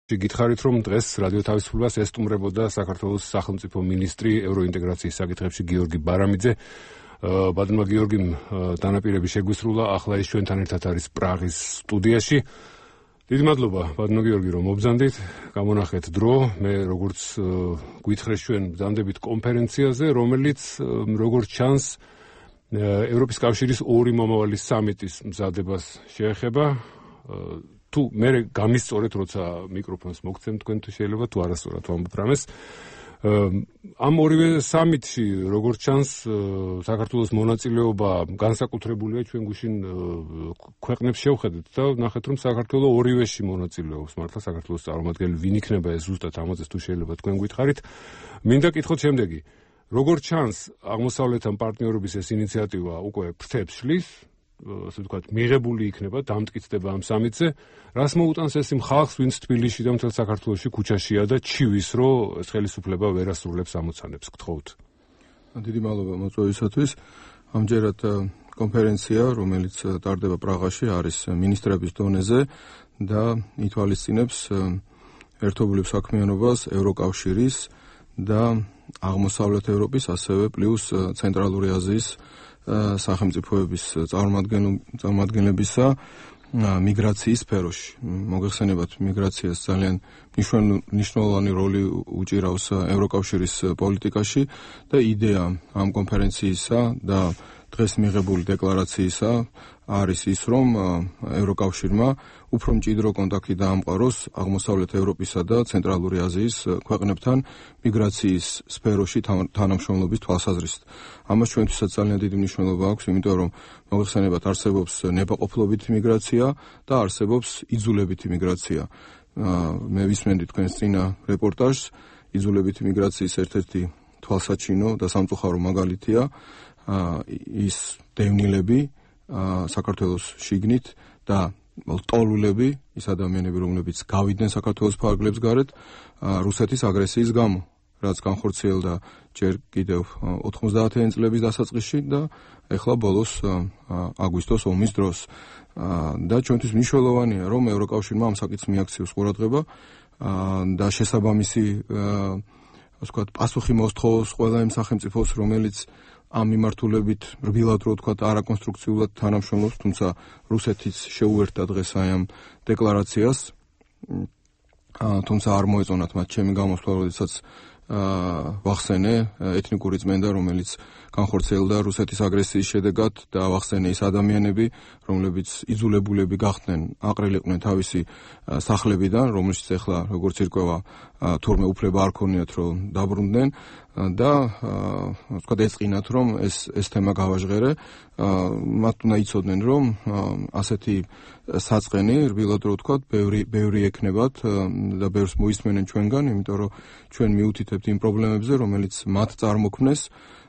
გითხარით, რომ დღეს რადიო თავისუფლებას ესტუმრებოდა საქართველოს სახელმწიფო მინისტრი ევროინტეგრაციის საკითხებში გიორგი ბარამიძე. ბატონმა გიორგიმ დანაპირები შეგვისრულა, ახლა ის ჩვენთან ერთად არის პრაღის სტუდიაში. დიდი მადლობა, ბატონო გიორგი, რომ მობრძანდით, გამონახეთ დრო. მე როგორც გვითხრეს ჩვენ ბრძანდებით კონფერენციაზე, რომელიც როგორც ჩანს ევროპის კავშირის ორი მომავალი სამიტის მზადებას შეეხება. თუ მე გამისწორეთ, როცა მიკროფონს მოგცემ თქვენ თუ შეიძლება თუ არასწორად ვამბობ რამეს. ამ ორივე სამიტში, როგორც ჩანს, საქართველოს მონაწილეობა განსაკუთრებულია ჩვენ გუშინ ქვეყნებს შევხედეთ და ნახეთ, რომ საქართველოს ორივეში მონაწილეობს. მართლა საქართველოს წარმომადგენელი ვინ იქნება ეს ზუსტად ამაზე თუ შეიძლება თქვენ გითხარით. მინდა კითხოთ შემდეგი. როგორც ჩანს, აღმოსავლეთთან პარტნიორობის ეს ინიციატივა უკვე ფრთებს შლის. ასე ვთქვათ, მიღებული იქნება, დამტკიცდება ამ სამიტზე. რას მოუტანს ეს იმ ხალხს, ვინც თბილისში და მთელ საქართველოში ქუჩაშია და ჩივის, რომ ეს ხელისუფლება ვერ ასრულებს ამოცანებს, გთხოვთ. დიდი მადლობა მოწვევისათვის. ამჯერად კონფერენცია, რომელიც ტარდება პრაღაში, არის მინისტრების დონეზე და ითვალისწინებს ერთობლივ საქმიანობას ევროკავშირის და აღმოსავლეთ ევროპის, ასევე პლუს ცენტრალური აზიის სახელმწიფოების წარმომადგენლებისა მიგრაციის სფეროში. მოგეხსენებათ, მიგრაციას ძალიან მნიშვნელოვანი როლი უჭირავს ევროკავშირის პოლიტიკაში და იდეა ამ კონფერენციისა და დღეს მიღებული დეკლარაციისა არის ის, რომ ევროკავშირმა უფრო მჭიდრო კონტაქტი დაამყაროს აღმოსავლეთ ევროპისა და ცენტრალური აზიის ქვეყნებთან მიგრაციის სფეროში თანამშრომლობის თვალსაზრისით. ამას ჩვენთვისაც ძალიან დიდი მნიშვნელობა აქვს, იმიტომ რომ მოგეხსენებათ, არსებობს ნებაყოფლობითი მიგრაცია და არსებობს იძულებითი მიგრაცია. მე ვისმენდი თქვენს წინა რეპორტაჟს, იძულებითი მიგრაციის ერთ-ერთი თვალსაჩინო და სამწუხარო მაგალითია ის დევნილები საქართველოს შიგნით და ტოლულები, ის ადამიანები, რომლებიც გავიდნენ საქართველოს ფარგლებს გარეთ რუსეთის აგრესიის გამო, რაც განხორციელდა ჯერ კიდევ 90-იანი წლების დასაწყისში და ეხლა ბოლოს აგვისტოს ომის დროს. და ჩვენთვის მნიშვნელოვანია, რომ ევროკავშირმა ამ საკითხს მიაქციოს ყურადღება და შესაბამისი პასუხი მოსთხოვოს ყველა იმ სახელმწიფოს, რომელიც ამ მიმართულებით რბილად რო ვთქვათ, არაკონსტრუქციულად თანამშრომლობს, თუმცა რუსეთიც შეუერთდა დღეს აი ამ დეკლარაციას, თუმცა არ მოეწონათ მათ ჩემი გამოსვლა, როდესაც ვახსენე ეთნიკური წმენდა, რომელიც განხორციელდა რუსეთის აგრესიის შედეგად და ვახსენე ის ადამიანები, რომლებიც იძულებულები გახდნენ, აყრილიყვნენ თავისი სახლებიდან, რომელშიც ახლა როგორც ირკვევა, თურმე უფლება არ ქონიათ, რომ დაბრუნდნენ და ვთქვათ, ეწყინათ, რომ ეს თემა გავაჟღერე. მათ უნდა იცოდნენ, რომ ასეთი საწყენი, რბილად რო ვთქვათ, ბევრი ექნებათ და ბევრს მოისმენენ ჩვენგან, იმიტომ რომ ჩვენ მიუთითებთ იმ პრობლემებზე, რომელიც მათ წარმოქმნეს.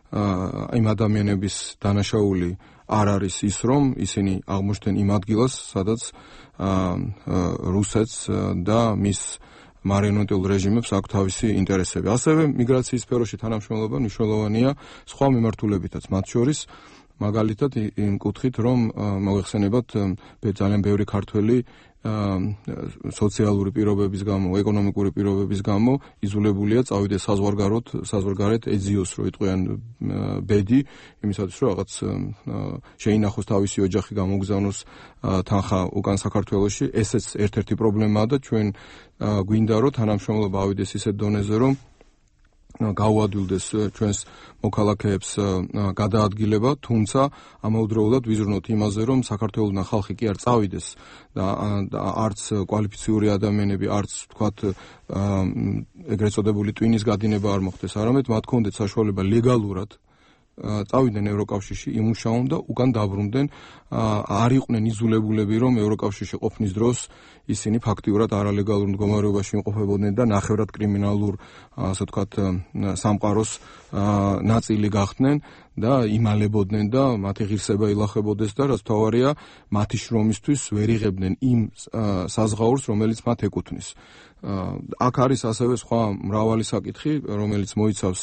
იმ ადამიანების დანაშაული არ არის ის, რომ ისინი აღმოჩნდნენ იმ ადგილას, სადაც რუსეთს და მის მარიონეტულ რეჟიმებს აქვს თავისი ინტერესები. ასევე მიგრაციის სფეროში თანამშრომლობა მნიშვნელოვანია სხვა მიმართულებითაც, მათ შორის მაგალითად იმ კუთხით, რომ მოგეხსენებათ, ძალიან ბევრი ქართველი სოციალური პირობების გამო, ეკონომიკური პირობების გამო იძულებულია წავიდეს საზღვარგარეთ ეძიოს, რო იტყვიან ბედი, იმისათვის რომ რაღაც შეინახოს თავისი ოჯახი, გამოგზავნოს თანხა უკან საქართველოში. ესეც ერთ-ერთი პრობლემაა და ჩვენ გვინდა რომ თანამშრომლობა ავიდეს ისეთ დონეზე, რომ გაუადვილდეს ჩვენს მოქალაქეებს გადაადგილება, თუმცა ამავდროულად ვიზრუნოთ იმაზე, რომ საქართველოსთან ხალხი კი არ წავიდეს და არც კვალიფიციური ადამიანები, არც ვთქვათ ეგრეთ წოდებული ტვინის გადინება არ მოხდეს, არამედ მათ ჰქონდეთ საშუალება ლეგალურად წავიდნენ ევროკავშირში, იმუშაონ და უკან დაბრუნდნენ. არ იყვნენ იძულებულები, რომ ევროკავშირში ყოფნის დროს ისინი ფაქტიურად არალეგალურ მდგომარეობაში იმყოფებოდნენ და ნახევრად კრიმინალურ, ასე ვთქვათ, სამყაროს ნაწილი გახდნენ და იმალებოდნენ და მათი ღირსება ილახებოდეს და რაც მთავარია, მათი შრომისთვის ვერ იღებდნენ იმ საზღაურს, რომელიც მათ ეკუთვნის. აქ არის ასევე სხვა მრავალი საკითხი, რომელიც მოიცავს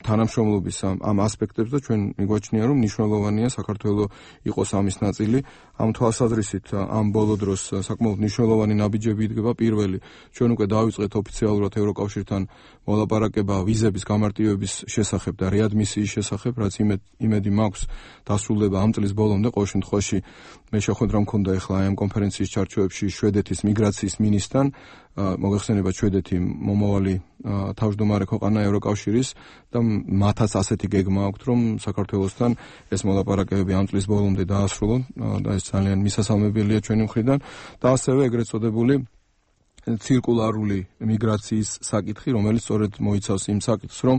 თანამშრომლობის ამ ასპექტებს და ჩვენ მიგვაჩნია, რომ მნიშვნელოვანია საქართველოს იყოს ამის ნაწილი. ამ თვალსაზრისით ამ ბოლო დროს საკმაოდ მნიშვნელოვანი ნაბიჯები იდგება. პირველი, ჩვენ უკვე დავიწყეთ ოფიციალურად ევროკავშირთან მოლაპარაკება ვიზების გამარტივების შესახებ და რეადმისიის შესახებ, რაც იმედი მაქვს დასრულდება ამ წლის ბოლომდე. ყოველ შემთხვევაში მე შეხვედრა მქონდა ახლა ამ კონფერენციის ჩარჩოებში შვედეთის მიგრაციის მინისტრთან. მოგეხსენებათ, შვედეთი მომავალი თავმჯდომარე ქვეყანა ევროკავშირის და მათაც ასეთი გეგმა აქვთ, რომ საქართველოსთან ეს მოლაპარაკებები ამ წლის ბოლომდე დაასრულონ და ეს ძალიან მისასალმებელია ჩვენი მხრიდან და ასევე ეგრეთ წოდებული ცირკულარული მიგრაციის საკითხი, რომელიც სწორედ მოიცავს იმ საკითხს, რომ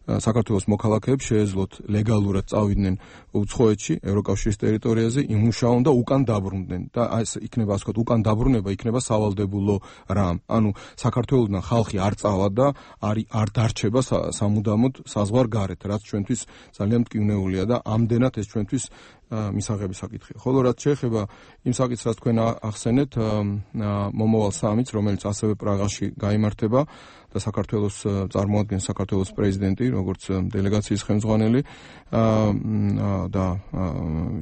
საქართველოს მოქალაქეებს შეეძლოთ ლეგალურად წავიდნენ უცხოეთში, ევროკავშირის ტერიტორიაზე, იმუშაონ და უკან დაბრუნდნენ. და ეს იქნება, ასე ვთქვათ, უკან დაბრუნება იქნება სავალდებულო რამ. ანუ საქართველოსთან ხალხი არ წავა და არ დარჩება სამუდამოდ საზღვარ გარეთ, რაც ჩვენთვის ძალიან მტკივნეულია და ამდენად ეს ჩვენთვის მისაღები საკითხია. ხოლო რაც შეეხება იმ საკითხს, რაც თქვენ ახსენეთ, მომავალ სამიტს, რომელიც ასევე პრაღაში გაიმართება და საქართველოს წარმოადგენს საქართველოს პრეზიდენტი, როგორც დელეგაციის ხელმძღვანელი და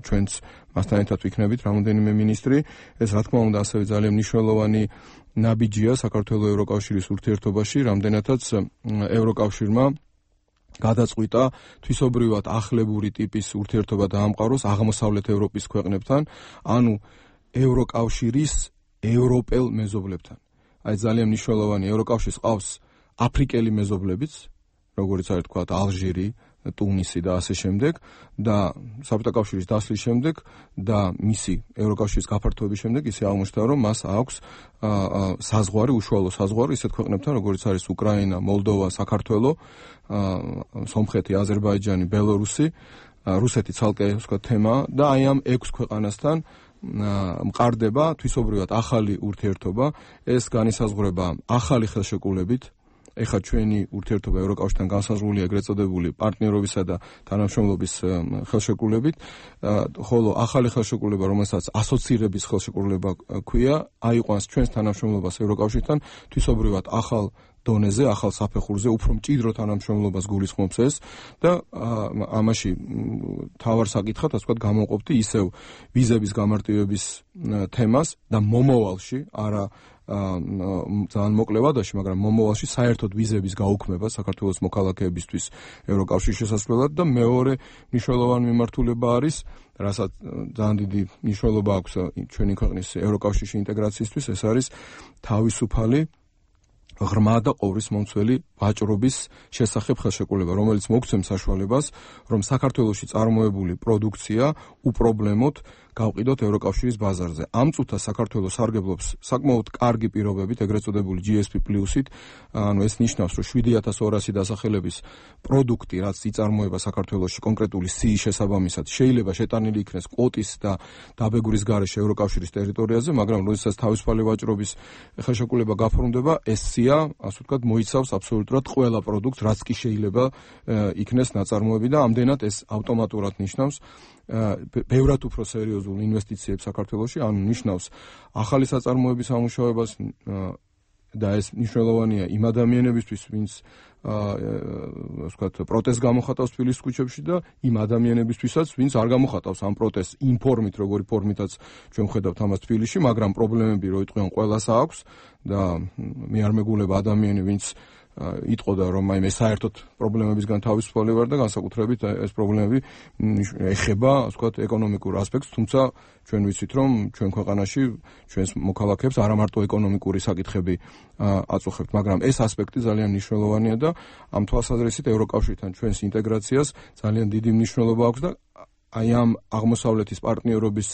ჩვენც მასთან ერთად ვიქნებით რამოდენიმე მინისტრი. ეს რა თქმა უნდა ასევე ძალიან მნიშვნელოვანი ნაბიჯია საქართველოს ევროკავშირის ურთიერთობაში, რამდენადაც ევროკავშირმა გადაწყვიტა თვისობრივად ახლებური ტიპის ურთიერთობა დაამყაროს აღმოსავლეთ ევროპის ქვეყნებთან, ანუ ევროკავშირის ევროპელ მეზობლებთან. აი ძალიან მნიშვნელოვანი, ევროკავშირს ყავს აფრიკელი მეზობლებიც, როგორც არის თქვა ალჟირი, ტუნისი და ასე შემდეგ და საბჭოთა კავშირის დასლის შემდეგ და მისი ევროკავშირის გაფართოების შემდეგ ისე აღმოჩნდა, რომ მას აქვს საზღვარი, უშუალო საზღვარი ისეთ ქვეყნებთან, როგორც არის უკრაინა, მოლდოვა, საქართველო, სომხეთი, აზერბაიჯანი, ბელორუსი, რუსეთი ცალკე ვთქვათ თემა და აი ამ 6 ქვეყანასთან მყარდება თვისობრივად ახალი ურთიერთობა. ეს განისაზღვრება ახალი ხელშეკრულებით. ეხლა ჩვენი ურთიერთობა ევროკავშირთან განსაზღვრულია ეგრეთ წოდებული პარტნიორობისა და თანამშრომლობის ხელშეკრულებით, ხოლო ახალი ხელშეკრულება, რომელსაც ასოცირების ხელშეკრულება ქვია, აიყვანს ჩვენს თანამშრომლობას ევროკავშირთან თვისობრივად ახალ დონეზე, ახალ საფეხურზე, უფრო მჭიდრო თანამშრომლობას გულისხმობს ეს და ამაში თავარ საკითხად, ასე ვთქვათ, გამოვყოფდი ისევ ვიზების გამარტივების თემას და მომავალში, არა ძალიან მოკლე ვადაში, მაგრამ მომავალში საერთოდ ვიზების გაუქმება საქართველოს მოქალაქეებისთვის ევროკავშირის შესასვლელად და მეორე მნიშვნელოვანი მიმართულება არის, რასაც ძალიან დიდი მნიშვნელობა აქვს ჩვენი ქვეყნის ევროკავშირში ინტეგრაციისთვის, ეს არის თავისუფალი ღრმა და ყოვლისმომცველი ვაჭრობის შესახებ ხელშეკრულება, რომელიც მოგცემს საშუალებას, რომ საქართველოში წარმოებული პროდუქცია უპრობლემოდ გავყიდოთ ევროკავშირის ბაზარზე. ამ წუთას საქართველოს სარგებლობს საკმაოდ კარგი პირობებით, ეგრეთ წოდებული GSP პლუსით, ანუ ეს ნიშნავს, რომ 7200 დასახელების პროდუქტი, რაც იწარმოება საქართველოში კონკრეტული სიის შესაბამისად, შეიძლება შეტანილი იქნეს კვოტის და დაბეგვრის გარეშე ევროკავშირის ტერიტორიაზე, მაგრამ როდესაც თავისუფალი ვაჭრობის ხელშეკრულება გაფორმდება, ეს სია, ასე ვთქვათ, მოიცავს აბსოლუტურად ყველა პროდუქტს, რაც კი შეიძლება იქნეს ნაწარმოები და ამდენად ეს ავტომატურად ნიშნავს ბევრად უფრო სერიოზულ ინვესტიციებს საქართველოში, ანუ ნიშნავს ახალი საწარმოების ამუშავებას და ეს მნიშვნელოვანია იმ ადამიანებისთვის, ვინც ვთქვათ, პროტესტს გამოხატავს თბილისის ქუჩებში და იმ ადამიანებისთვისაც, ვინც არ გამოხატავს ამ პროტესტს იმ ფორმით, როგორი ფორმითაც ჩვენ ხედავთ ამას თბილისში, მაგრამ პრობლემები რო იტყვიან ყველას აქვს და მე არ მეგულება ადამიანი, ვინც იტყოდა, რომ აი მე საერთოდ პრობლემებისგან თავისუფალი ვარ და განსაკუთრებით ეს პრობლემები ეხება, ასე ვთქვათ, ეკონომიკურ ასპექტს, თუმცა ჩვენ ვიცით, რომ ჩვენ ქვეყანაში ჩვენს მოქალაქეებს არა მარტო ეკონომიკური საკითხები აწუხებთ, მაგრამ ეს ასპექტი ძალიან მნიშვნელოვანია და ამ თვალსაზრისით ევროკავშირთან ჩვენს ინტეგრაციას ძალიან დიდი მნიშვნელობა აქვს და აი ამ აღმოსავლეთის პარტნიორობის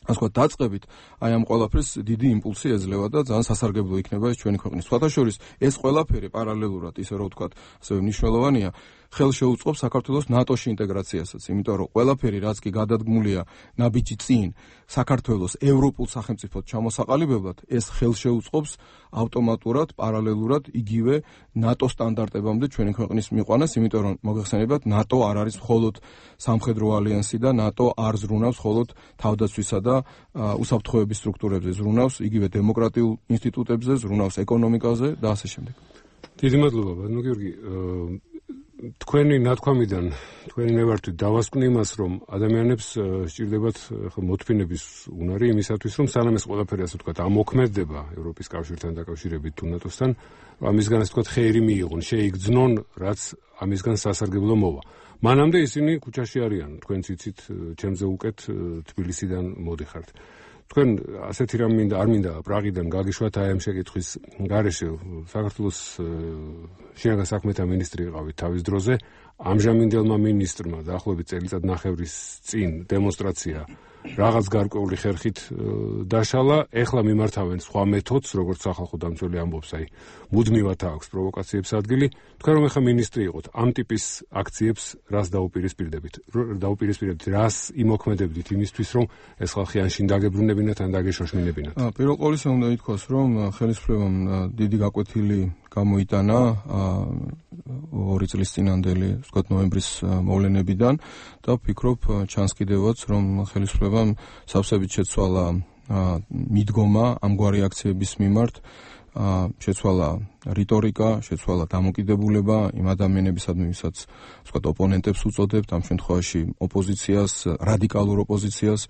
ასე ვთქვათ, დაწყებით, აი ამ ყველაფერს დიდი იმპულსი ეძლევა და ძალიან სასარგებლო იქნება ეს ჩვენი ქვეყნის. სხვათაშორის ეს ყველაფერი პარალელურად, ისე რომ ვთქვათ, ასევე მნიშვნელოვანია, ხელს შეუწყობს საქართველოს ნატოში ინტეგრაციასაც, იმიტომ რომ ყველაფერი, რაც კი გადადგმულია ნაბიჯი წინ საქართველოს ევროპულ სახელმწიფოდ ჩამოსაყალიბებლად, ეს ხელს შეუწყობს ავტომატურად, პარალელურად იგივე ნატო სტანდარტებამდე ჩვენი ქვეყნის მიყვანას, იმიტომ რომ მოგეხსენებათ, ნატო არ არის მხოლოდ სამხედრო ალიანსი და ნატო არ ზრუნავს მხოლოდ თავდაცვისა და უსაფრთხოების სტრუქტურებზე, ზრუნავს იგივე დემოკრატიულ ინსტიტუტებზე, ზრუნავს ეკონომიკაზე და ასე შემდეგ. დიდი მადლობა, ბატონო გიორგი. თქვენი ნათქვამიდან, თქვენი ნებართვით დავასკვნი იმას, რომ ადამიანებს სჭირდებათ მოთმინების უნარი იმისათვის, რომ სანამ ეს ყველაფერი ასე ვთქვათ, ამოქმედება ევროპის კავშირთან დაკავშირებით თუ ნატოსთან, ამისგან ასე ვთქვათ, ხეირი მიიღონ, შეიგრძნონ, რაც ამისგან სასარგებლო მოვა. მანამდე ისინი ქუჩაში არიან, თქვენც იცით, ჩემზე უკეთ თბილისიდან მოდიხართ. თქვენ ასეთი რამ მინდა, არ მინდა პრაღიდან გაგიშვათ აი ამ შეკითხვის გარეშე. საქართველოს შინაგან საქმეთა მინისტრი იყავით თავის დროზე, ამჟამინდელმა მინისტრმა დაახლოებით წელიწად ნახევრის წინ დემონსტრაცია რაღაც გარკვეული ხერხით დაშალა, ეხლა მიმართავენ სხვა მეთოდს, როგორც სახალხო დამცველი ამბობს, აი მუდმივად აქვს პროვოკაციებს ადგილი. თქვენ რომ ეხლა მინისტრი იყოთ, ამ ტიპის აქციებს რას დაუპირისპირებთ, რას იმოქმედებდით იმისთვის, რომ ეს ხალხი ან შინ დაგებრუნებინათ, ან დაგეშოშმინებინათ? პირველ ყოვლისა უნდა ითქვას, რომ ხელისუფლებამ დიდი გაკვეთილი გამოიტანა 2 წლის წინანდელი, ვთქვათ, ნოემბრის მოვლენებიდან და ვფიქრობ ჩანს კიდევაც, რომ ხელისუფლებამ სავსებით შეცვალა მიდგომა ამგვარი აქციების მიმართ, შეცვალა რიტორიკა, შეცვალა დამოკიდებულება იმ ადამიანებისადმი, ვისაც ვთქვათ, ოპონენტებს უწოდებთ, ამ შემთხვევაში ოპოზიციას, რადიკალურ ოპოზიციას.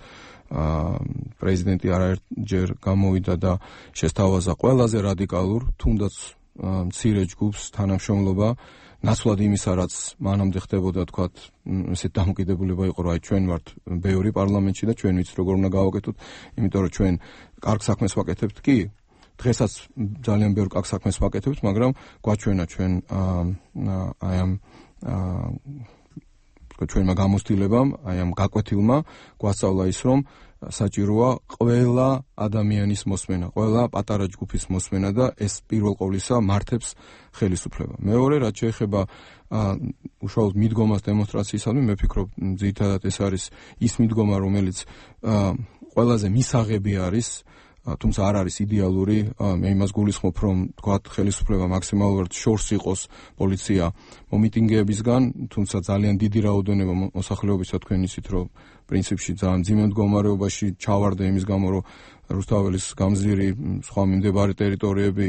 პრეზიდენტი არაერთჯერ გამოვიდა და შესთავაზა ყველაზე რადიკალურ, თუნდაც მცირე ჯგუფს თანამშრომლობა, ნაცვლად იმისა, რაც მანამდე ხდებოდა, თქვათ, ესეთ დამოკიდებულება იყო, რომ აი ჩვენ ვართ ბევრი პარლამენტში და ჩვენ ვიცით როგორ უნდა გავაკეთოთ, იმიტომ რომ ჩვენ კარგ საქმეს ვაკეთებთ კი, დღესაც ძალიან ბევრ კარგ საქმეს ვაკეთებთ, მაგრამ გვაჩვენა ჩვენ აი ამ ჩვენმა გამოცდილებამ, აი ამ გაკვეთილმა გვასწავლა ის, რომ საჭიროა ყველა ადამიანის მოსმენა, ყველა პატარა ჯგუფის მოსმენა და ეს პირველ ყოვლისა მართებს ხელისუფლება. მეორე, რაც შეეხება უშუალოდ მიდგომას დემონსტრაციისადმი, მე ვფიქრობ, ძირითადად ეს არის ის მიდგომა, რომელიც ყველაზე მისაღები არის, თუმცა არ არის იდეალური. მე იმას გულისხმობ, რომ თქვათ ხელისუფლება მაქსიმალურად შორს იყოს პოლიცია მომიტინგეებისგან, თუმცა ძალიან დიდი რაოდენობა მოსახლეობისა თქვენ იცით, რომ პრინციპში ძალიან მძიმე მდგომარეობაში ჩავარდა იმის გამო, რომ რუსთაველის გამზირი სხვა მიმდებარე ტერიტორიები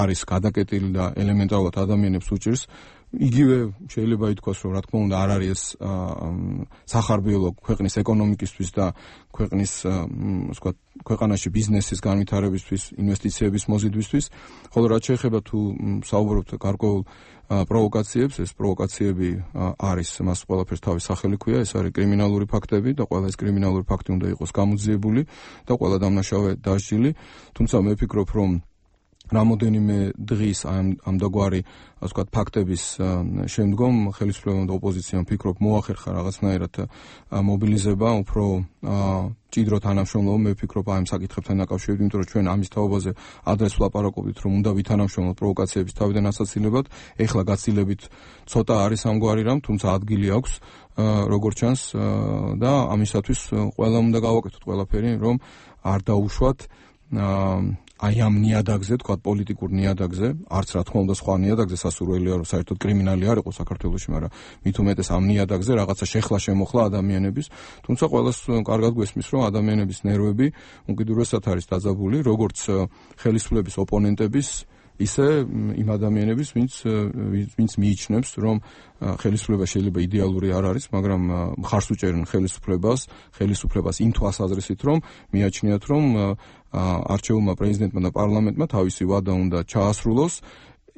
არის გადაკეტილი და ელემენტარულად ადამიანებს უჭირს. იგივე შეიძლება ითქვას, რომ რა თქმა უნდა არ არის ეს სახარბიელო ქვეყნის ეკონომიკისთვის და ქვეყნის ვთქვათ, ქვეყანაში ბიზნესის განვითარებისთვის, ინვესტიციების მოზიდვისთვის, ხოლო რაც შეეხება თუ საუბრობთ გარკვეულ პროვოკაციებს, ეს პროვოკაციები არის, მას ყველაფერს თავის სახელი ქვია, ეს არის კრიმინალური ფაქტები და ყველა ეს კრიმინალური ფაქტი უნდა იყოს გამოძიებული და ყველა დამნაშავე დასჯილი, თუმცა მე ვფიქრობ, რომ რამოდენიმე დღის ამდაგვარი, ასე ვთქვათ, ფაქტების შემდგომ ხელისუფლებამ და ოპოზიციამ ვფიქრობ მოახერხა რაღაცნაირად მობილიზება, უფრო ჭიდრო თანამშრომლობა. მე ვფიქრობ ამ საკითხებთან დაკავშირებით, იმიტომ რომ ჩვენ ამის თაობაზე ადრეს ვლაპარაკობთ, რომ უნდა ვითანამშრომლოთ პროვოკაციების თავიდან ასაცილებად, ეხლა გაცილებით ცოტა არის ამგვარი რამ, თუმცა ადგილი აქვს, როგორც ჩანს და ამისათვის ყველამ უნდა გავაკეთოთ ყველაფერი, რომ არ დაუშვათ აი ამ ნიადაგზე, თქვათ, პოლიტიკურ ნიადაგზე, არც რა თქმა უნდა სხვა ნიადაგზე სასურველია, რომ საერთოდ კრიმინალი არ იყოს საქართველოში, მაგრამ მით უმეტეს ამ ნიადაგზე რაღაცა შეხლა შემოხლა ადამიანების, თუმცა ყველას კარგად გვესმის, რომ ადამიანების ნერვები უკიდურესად არის დაძაბული, როგორც ხელისუფლების ოპონენტების, ისე იმ ადამიანების, ვინც მიიჩნევს, რომ ხელისუფლება შეიძლება იდეალური არ არის, მაგრამ მხარს უჭერენ ხელისუფლებას იმ თვალსაზრისით, რომ მიაჩნიათ, რომ არჩეულმა პრეზიდენტმა და პარლამენტმა თავისი ვადა უნდა ჩაასრულოს,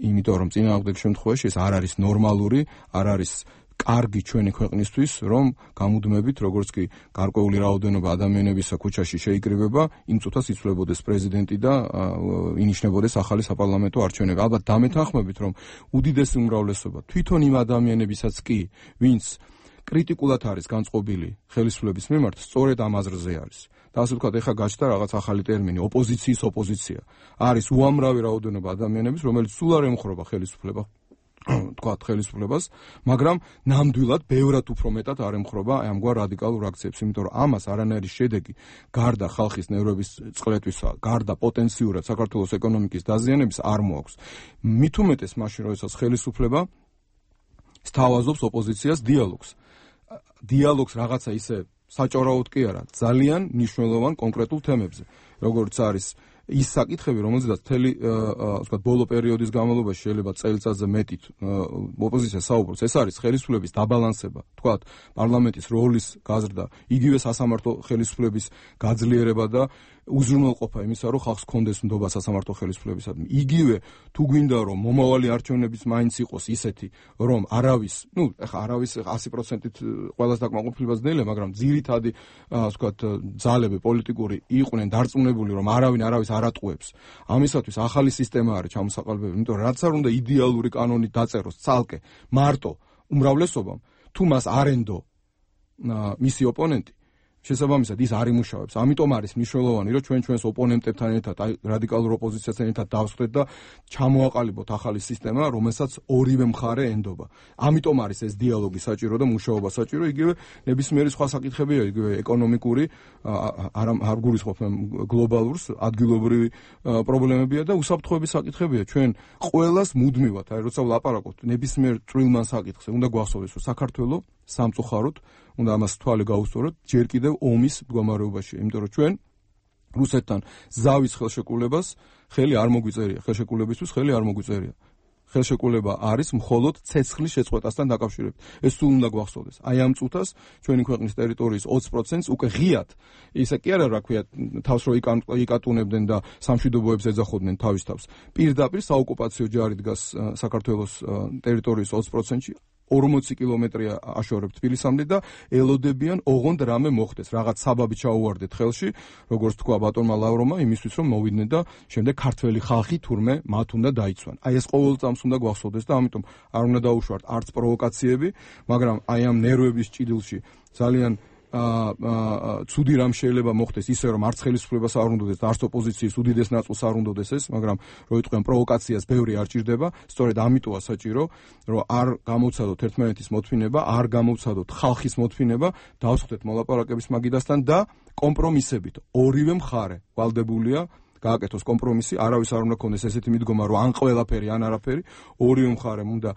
იმიტომ რომ წინააღმდეგ შემთხვევაში ეს არ არის ნორმალური, არ არის კარგი ჩვენი ქვეყნისთვის, რომ გამუდმებით, როგორც კი გარკვეული რაოდენობა ადამიანებისა ქუჩაში შეიკრიბება, იმ წუთას იცვლებოდეს პრეზიდენტი და ინიშნებოდეს ახალი საპარლამენტო არჩევნები. ალბათ დამეთანხმებით, რომ უდიდესი უმრავლესობა თვითონ იმ ადამიანებისაც კი, ვინც კრიტიკულად არის განწყობილი ხელისუფლების მიმართ, სწორედ ამ აზრზე არის. და ასე ვთქვათ, ეხლა გაჩნდა რაღაც ახალი ტერმინი, ოპოზიციის ოპოზიცია. არის უამრავი რაოდენობა ადამიანების, რომელიც სულ არ ემხრობა ხელისუფლებას, მაგრამ ნამდვილად ბევრად უფრო მეტად არ ემხრობა ამგვარ რადიკალურ აქციებს, იმიტომ რომ ამას არანაირი შედეგი გარდა ხალხის ნერვების წყლეთისა, გარდა პოტენციურად საქართველოს ეკონომიკის დაზიანების არ მოაქვს. მით უმეტეს მაშინ, როდესაც ხელისუფლება სთავაზობს ოპოზიციას დიალოგს რაღაცა ისე საჭორაოდ კი არა, ძალიან მნიშვნელოვან კონკრეტულ თემებზე, როგორც არის ის საკითხები, რომელზედაც მთელი ვთქვათ, ბოლო პერიოდის განმავლობაში შეიძლება წელიწადზე მეტით ოპოზიცია საუბრობს, ეს არის ხელისუფლების დაბალანსება, ვთქვათ, პარლამენტის როლის გაზრდა, იგივე სასამართლო ხელისუფლების გაძლიერება და უზრუნველყოფა იმისა, რომ ხალხს კონდეს ნდობა სასამართლო ხელისუფლებისადმი. იგივე თუ გვინდა რომ მომავალი არჩევნებიც მაინც იყოს ისეთი, რომ არავის 100%-ით ყველას დაკმაყოფილება ძნელია, მაგრამ ძირითადი ვთქვათ, ძალები პოლიტიკური იყვნენ დარწმუნებული, რომ არავის არ ატყუებს. ამისათვის ახალი სისტემა არის ჩამოსაყალბებული, იმიტომ რომ რაც არ უნდა იდეალური კანონით დაწეროს ცალკე მარტო უმრავლესობამ, თუ მას არ ენდო მისი ოპონენტი, შესაბამისად ის არ იმუშავებს. ამიტომ არის მნიშვნელოვანი, რომ ჩვენს ოპონენტებთან ერთად, რადიკალურ ოპოზიციასთან ერთად დავსხდეთ და ჩამოაყალიბოთ ახალი სისტემა, რომელსაც ორივე მხარე ენდობა. ამიტომ არის ეს დიალოგი საჭირო და მუშაობა საჭირო, იგივე ნებისმიერი სხვა საკითხებია, იგივე ეკონომიკური, არ გულისხმობ გლობალურს, ადგილობრივი პრობლემებია და უსაფრთხოების საკითხებია. ჩვენ ყველას მუდმივად, როცა ვლაპარაკობთ ნებისმიერ წვრილმან საკითხზე, უნდა გვახსოვდეს, რომ საქართველოს სამწუხაროდ უნდა ამას თვალი გაუსწოროთ ჯერ კიდევ ომის მდგომარეობაში, იმიტომ რომ ჩვენ რუსეთთან ზავის ხელშეკრულებას ხელი არ მოგვიწერია, ხელშეკრულებისთვის ხელი არ მოგვიწერია. ხელშეკრულება არის მხოლოდ ცეცხლის შეწყვეტასთან დაკავშირებით. ეს სულ უნდა გვახსოვდეს. აი ამ წუთას ჩვენი ქვეყნის ტერიტორიის 20%-ს უკვე ღიად, ისე კი არა, რა ქვია, თავს რო იკატუნებდნენ და სამშვიდობოებს ეძახოდნენ თავის თავს. პირდაპირ საოკუპაციო ჯარი დგას საქართველოს ტერიტორიის 20%-ში. 40 კილომეტრია აშორებთ თბილისამდე და ელოდებიან ოღონდ რამე მოხდეს, რაღაც საბაბი ჩაუვარდეთ ხელში, როგორც თქვა ბატონმა ლავრომა, იმისთვის რომ მოვიდნენ და შემდეგ ქართველი ხალხი თურმე მათ უნდა დაიცვან. აი ეს ყოველ წამს უნდა გვახსოვდეს და ამიტომ არ უნდა დაუშვათ არც პროვოკაციები, მაგრამ აი ამ ნერვების ჭიდილში ძალიან ცუდი რამ შეიძლება მოხდეს ისე რომ არც ხელისუფლებას არ უნდადეს და არც ოპოზიციის უდიდეს ნაწილს არ უნდადეს ეს, მაგრამ რო იტყვიან პროვოკაციას ბევრი არ ჭირდება, სწორედ ამიტოა საჭირო, რომ არ გამოვცადოთ ერთმანეთის მოთმინება, არ გამოვცადოთ ხალხის მოთმინება, დავსხდეთ მოლაპარაკების მაგიდასთან და კომპრომისებით ორივე მხარე ვალდებულია გააკეთოს კომპრომისი, არავის არ უნდა ქონდეს ესეთი მიდგომა, რომ ან ყველაფერი, ან არაფერი, ორივე მხარემ უნდა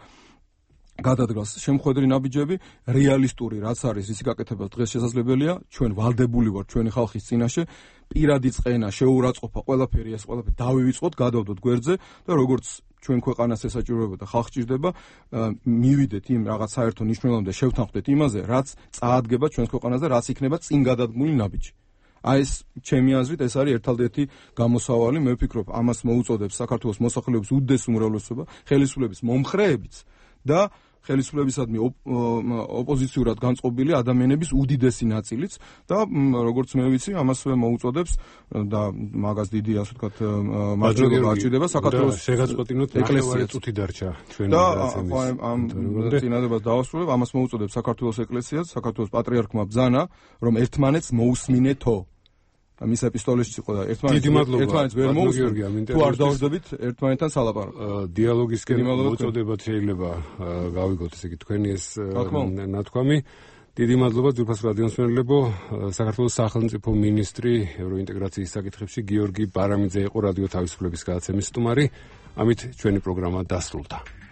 გადადგას შემხედრი ნაბიჯები, რეალისტური რაც არის ისი გაკეთება დღეს შესაძლებელია, ჩვენ ვალდებული ვართ ჩვენი ხალხის წინაშე, პირადი წყენა, შეურაცხყოფა, ყველაფერი ეს ყველაფერი დავივიწყოთ, გადავდოთ გვერდზე და როგორც ჩვენ ქვეყანას ესაჭიროება და ხალხს ჭირდება, მივიდეთ იმ რაღაც საერთო მნიშვნელობამდე შევთანხმდეთ იმაზე, რაც წაადგება ჩვენს ქვეყანაზე, რაც იქნება წინ გადადგმული ნაბიჯი. აი ეს ჩემი აზრით ეს არის ერთადერთი გამოსავალი, მე ვფიქრობ, ამას მოუწოდებს საქართველოს მოსახლეობის უდიდეს უმრავლესობა, ხელისუფლების მომხრეებიც და ხელისუფლებისადმი ოპოზიციურად განწყობილი ადამიანების უდიდესი ნაწილიც და როგორც მე ვიცი, ამასვე მოუწოდებს და მაგას დიდი ასე ვთქვათ მარჯვენა არჩევა საქართველოს შეგაწყვეტინოთ ეკლესია წუთი დარჩა ჩვენი რაცემის. და ამ წინადადებას დავასრულებ, ამას მოუწოდებს საქართველოს ეკლესიაც, საქართველოს პატრიარქმა ბრძანა, რომ ერთმანეთს მოусმინეთო. მის ეპისტოლეში იყო და ერთმანეთს ვერ მოусმინეთ. თუ არ დავუძებით ერთმანეთთან სალაპარაკო. დიალოგისკენ მოწოდებათ შეიძლება გავიგოთ ესე იგი თქვენი ეს ნათქვამი. დიდი მადლობა ძვირფას რადიოს მსმენელებო. საქართველოს სახელმწიფო მინისტრი ევროინტეგრაციის საკითხებში გიორგი ბარამიძე იყო რადიო თავისუფლების გადაცემის სტუმარი. ამით ჩვენი პროგრამა დასრულდა.